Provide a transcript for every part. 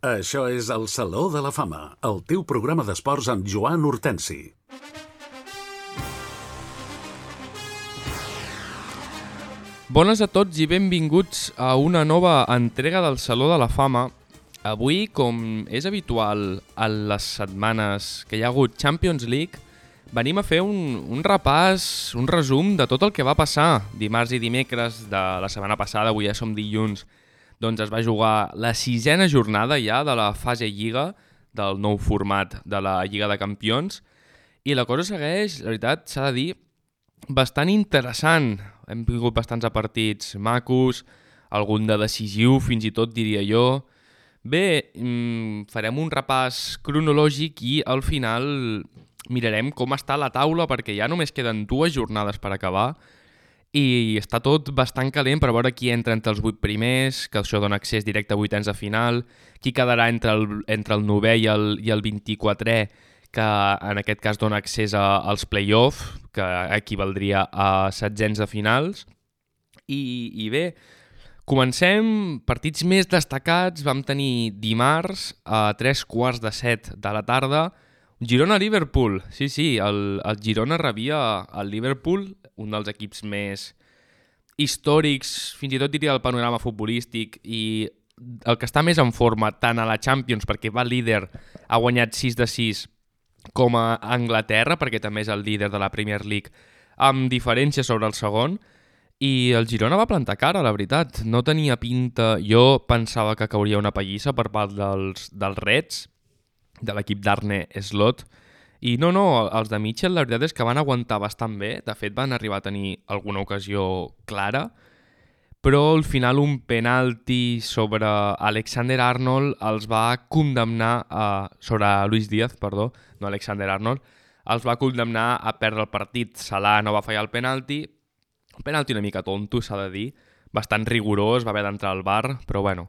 Això és el Saló de la Fama, el teu programa d'esports amb Joan Hortensi. Bones a tots i benvinguts a una nova entrega del Saló de la Fama. Avui, com és habitual a les setmanes que hi ha hagut Champions League, venim a fer un repàs, un resum de tot el que va passar dimarts i dimecres de la setmana passada. Avui ja som dilluns, doncs es va jugar la 6ª jornada ja de la fase Lliga, del nou format de la Lliga de Campions, i la cosa segueix, la veritat, s'ha de dir, bastant interessant. Hem tingut bastants partits macos, algun de decisiu, fins i tot diria jo. Bé, farem un repàs cronològic i al final mirarem com està la taula, perquè ja només queden 2 jornades per acabar i està tot bastant calent per veure qui entra entre els 8 primers, que això dona accés directe a vuitens de final, qui quedarà entre el 9è i el 24è, que en aquest cas dona accés als play-off, que equivaldria a setzents de finals. I bé, comencem. Partits més destacats vam tenir dimarts a 7:15 de la tarda, Girona-Liverpool. Sí, el Girona rebia el Liverpool, un dels equips més històrics, fins i tot diria del panorama futbolístic, i el que està més en forma tant a la Champions, perquè va líder, ha guanyat 6-6, com a Anglaterra, perquè també és el líder de la Premier League, amb diferència sobre el segon, i el Girona va plantar cara, la veritat. No tenia pinta. Jo pensava que cauria una pallissa per part dels Reds, de l'equip d'Arne Slot, i no, els de Mitchell la veritat és que van aguantar bastant bé. De fet, van arribar a tenir alguna ocasió clara, però al final un penalti sobre Alexander Arnold els va condemnar sobre Luis Díaz, perdó, no Alexander Arnold, els va condemnar a perdre el partit. Salah no va fallar el penalti, un penalti una mica tonto, s'ha de dir, bastant rigorós, va haver d'entrar al VAR, però bueno,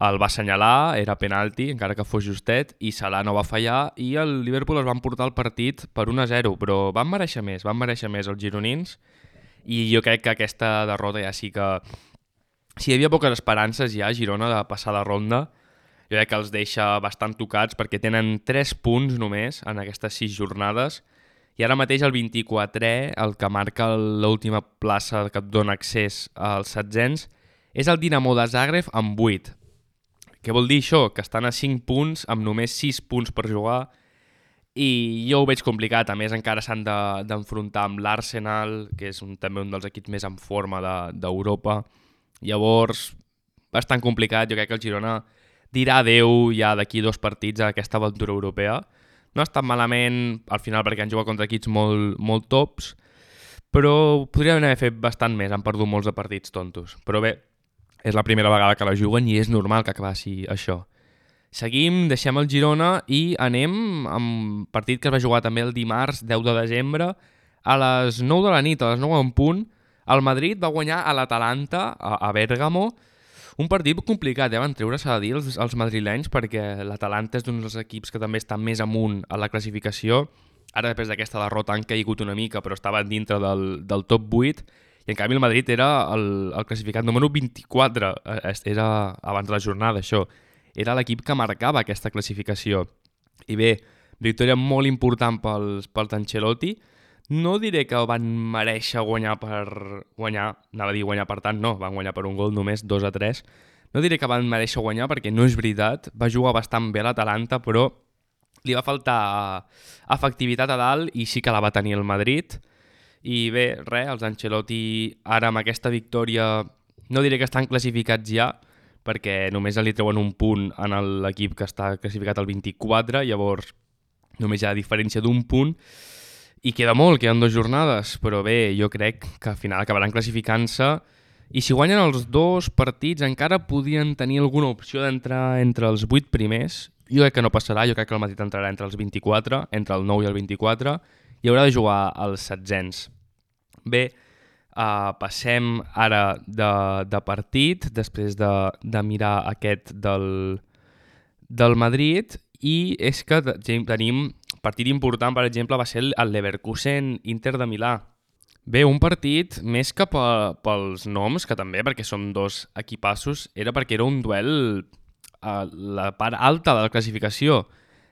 el va assenyalar, era penalti, encara que fos justet, i Salah no va fallar, i el Liverpool es van portar el partit per 1-0, però van mereixer més els gironins, i jo crec que aquesta derrota ja sí que... Si hi havia poques esperances ja a Girona de passar de ronda, jo crec que els deixa bastant tocats, perquè tenen 3 punts només en aquestes 6 jornades, i ara mateix el 24è, el que marca l'última plaça que et dona accés als setzents, és el Dinamo de Zagreb amb 8. Què vol dir això? Que estan a 5 punts amb només 6 punts per jugar, i jo ho veig complicat. A més, encara s'han d'enfrontar amb l'Arsenal, que és també un dels equips més en forma d'Europa. Llavors, bastant complicat. Jo crec que el Girona dirà adeu ja d'aquí 2 partits a aquesta aventura europea. No ha estat malament al final perquè han jugat contra equips molt tops, però podrien haver fet bastant més, han perdut molts de partits tontos. Però bé, és la primera vegada que la juguen i és normal que acabassi això. Seguim, deixem el Girona i anem amb partit que es va jugar també el dimarts 10 de desembre a les 9 de la nit, a les 9 en punt. El Madrid va guanyar a l'Atalanta, a Bèrgamo. Un partit complicat, van treure, s'ha de dir, els madrilenys, perquè l'Atalanta és d'un dels equips que també està més amunt a la classificació. Ara, després d'aquesta derrota, han caigut una mica, però estaven dintre del top 8, i en canvi el Madrid era el classificat número 24, era abans de la jornada, això. Era l'equip que marcava aquesta classificació. I bé, victòria molt important pels Ancelotti. No diré que van mereixer guanyar per guanyar, anava a dir guanyar per tant, no, van guanyar per un gol només, 2-3. No diré que van mereixer guanyar perquè no és veritat, va jugar bastant bé l'Atalanta, però li va faltar efectivitat a dalt i sí que la va tenir el Madrid. I bé, els Ancelotti ara amb aquesta victòria no diré que estan classificats ja, perquè només li treuen un punt en l'equip que està classificat al 24, llavors només hi ha diferència d'un punt, i queda molt, queden 2 jornades, però bé, jo crec que al final acabaran classificant-se, i si guanyen els 2 partits encara podien tenir alguna opció d'entrar entre els 8 primers. Jo crec que no passarà, jo crec que el Madrid entrarà entre els 24, entre el 9 i el 24, i haurà de jugar als setzents. Bé, passem ara de partit, després de mirar aquest del Madrid, i és que tenim partit important, per exemple, va ser el Leverkusen-Inter de Milà. Bé, un partit més que pels noms, que també, perquè són 2 equipassos, era perquè era un duel la part alta de la classificació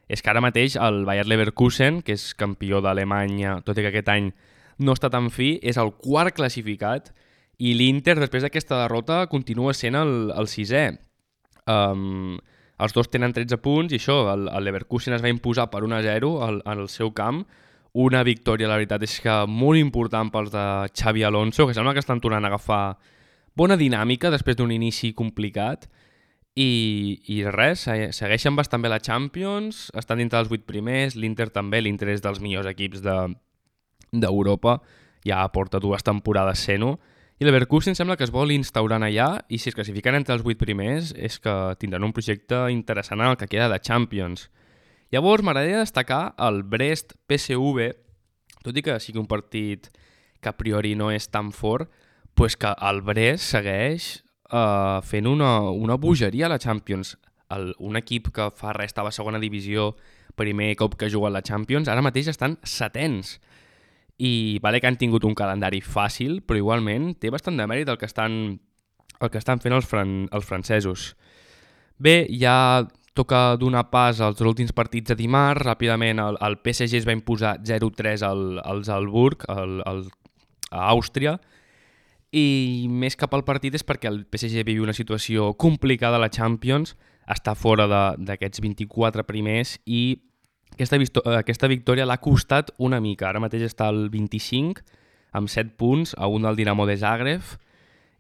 és que ara mateix el Bayer Leverkusen, que és campió d'Alemanya, tot i que aquest any no està tan fi, és el quart classificat i l'Inter, després d'aquesta derrota, continua sent el sisè. Els dos tenen 13 punts i això, el Leverkusen es va imposar per 1-0 al seu camp. Una victòria, la veritat, és que molt important pels de Xabi Alonso, que sembla que estan tornant a agafar bona dinàmica després d'un inici complicat. I res, segueixen bastant bé la Champions, estan dintre dels 8 primers, l'Inter també, l'Inter és dels millors equips d'Europa, ja porta 2 temporades sent-ho, i l'Leverkusen sembla que es vol instaurant allà, i si es classifiquen entre els 8 primers és que tindran un projecte interessant en el que queda de Champions. Llavors m'agradaria destacar el Brest-PSV, tot i que sigui un partit que a priori no és tan fort, pues que el Brest segueix fent una bogeria a la Champions. Un equip que fa res estava a segona divisió, primer cop que juga a la Champions, ara mateix estan setens. I vale que han tingut un calendari fàcil, però igualment té bastant de mèrit el que estan fent els francesos. Bé, ja toca donar pas als últims partits de dimarts. Ràpidament el PSG es va imposar 0-3 al Salzburg, a Àustria, i més cap al partit és perquè el PSG viu una situació complicada a la Champions, està fora d'aquests 24 primers i aquesta victòria l'ha costat una mica. Ara mateix està al 25 amb 7 punts a un del Dinamo de Zagreb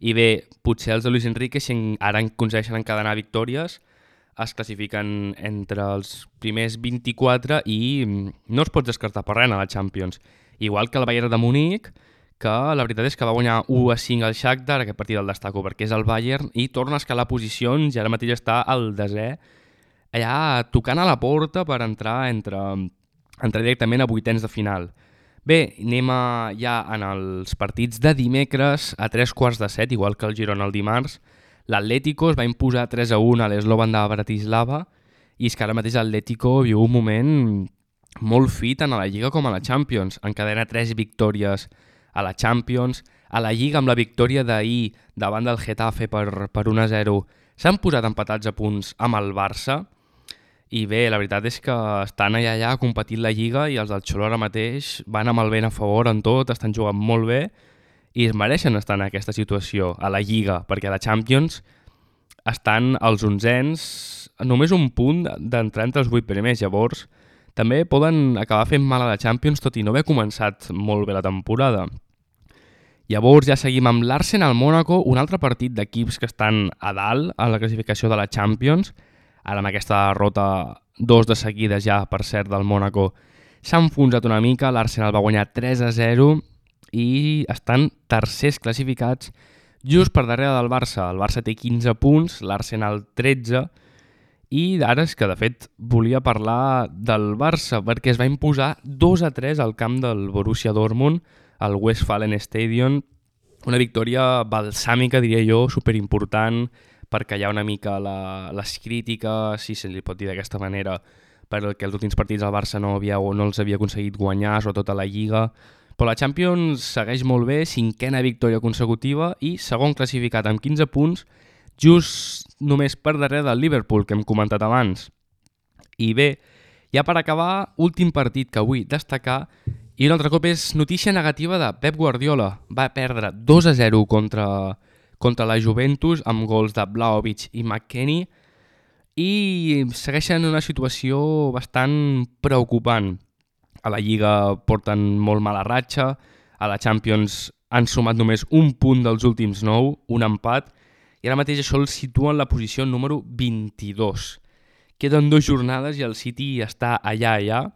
i bé, potser els de Luis Enrique, si ara aconsegueixen encadenar victòries, es classifiquen entre els primers 24 i no es pot descartar per res a la Champions. Igual que el Bayern de Munic, que la veritat és que va guanyar 1-5 al Shakhtar, aquest partit el destaco perquè és el Bayern, i torna a escalar posicions i ara mateix està al desè, allà tocant a la porta per entrar directament a vuitens de final. Bé, anem ja en els partits de dimecres a 3:15, igual que el Girona el dimarts. L'Atlético es va imposar 3-1 a l'Slovan de Bratislava i és que ara mateix l'Atlético viu un moment molt fit tant a la Lliga com a la Champions. Encadena 3 victòries a la Champions, a la Lliga amb la victòria d'ahir davant del Getafe per 1-0 s'han posat empatats a punts amb el Barça i bé, la veritat és que estan allà competint la Lliga i els del Xolo ara mateix van amb el vent a favor en tot, estan jugant molt bé i es mereixen estar en aquesta situació a la Lliga, perquè a la Champions estan els 11ens només un punt d'entrar entre els 8 primers, llavors també poden acabar fent mal a la Champions tot i no haver començat molt bé la temporada. Llavors ja seguim amb l'Arsenal Mónaco, un altre partit d'equips que estan a dalt a la classificació de la Champions. Ara amb aquesta derrota 2 de seguides ja, per cert, del Mónaco, s'ha enfonsat una mica, l'Arsenal va guanyar 3-0 i estan tercers classificats just per darrere del Barça. El Barça té 15 punts, l'Arsenal 13, i ara és que de fet volia parlar del Barça perquè es va imposar 2-3 al camp del Borussia Dortmund, al Westfalen Stadion, una victòria balsàmica, diria jo, superimportant per callar una mica les crítiques, si se li pot dir d'aquesta manera, perquè els últims partits al Barça no els havia aconseguit guanyar, sobretot a la Lliga. Però la Champions segueix molt bé, 5a victòria consecutiva i segon classificat amb 15 punts, just només per darrere del Liverpool, que hem comentat abans. I bé, ja per acabar, últim partit que vull destacar, i un altre cop és notícia negativa de Pep Guardiola. Va perdre 2-0 contra la Juventus amb gols de Vlahovic i McKennie i segueixen una situació bastant preocupant. A la Lliga porten molt mala ratxa, a la Champions han sumat només un punt dels últims 9, un empat, i ara mateix això el situa en la posició número 22. Queden 2 jornades i el City està allà,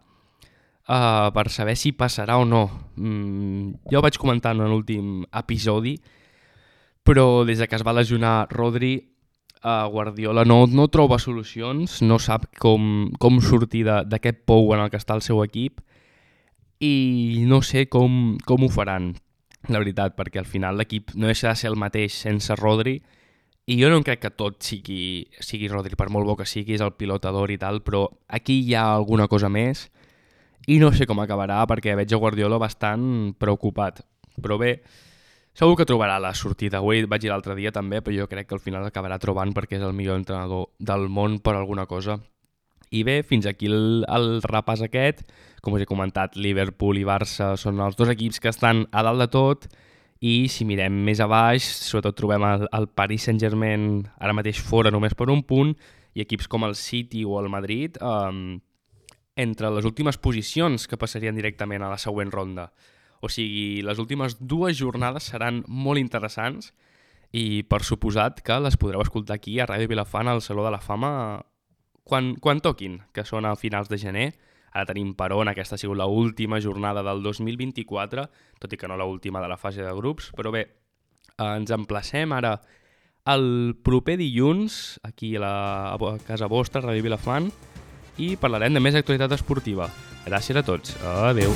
per saber si passarà o no. Ja ho vaig comentar en l'últim episodi, però des que es va lesionar Rodri, Guardiola no troba solucions, no sap com sortir d'aquest pou en el que està el seu equip i no sé com ho faran, la veritat, perquè al final l'equip no deixa de ser el mateix sense Rodri i jo no crec que tot sigui Rodri, per molt bo que sigui, és el pilotador i tal, però aquí hi ha alguna cosa més i no sé com acabarà perquè veig a Guardiola bastant preocupat. Però bé, Segur que trobarà la sortida. Avui vaig dir l'altre dia també, però jo crec que al final acabarà trobant perquè és el millor entrenador del món per alguna cosa. I bé, fins aquí el repàs aquest. Com us he comentat, Liverpool i Barça són els dos equips que estan a dalt de tot, i si mirem més a baix, sobretot trobem el Paris Saint-Germain ara mateix fora només per un punt, i equips com el City o el Madrid entre les últimes posicions que passarien directament a la següent ronda. O sigui, les últimes 2 jornades seran molt interessants i per suposat que les podreu escoltar aquí a Ràdio Vilafant al Saló de la Fama quan toquin, que són a finals de gener. Ara tenim per on, aquesta ha sigut l'última jornada del 2024, tot i que no l'última de la fase de grups, però bé, ens emplacem ara el proper dilluns, aquí a casa vostra, Ràdio Vilafant, i parlarem de més actualitat esportiva. Gràcies a tots. Adéu.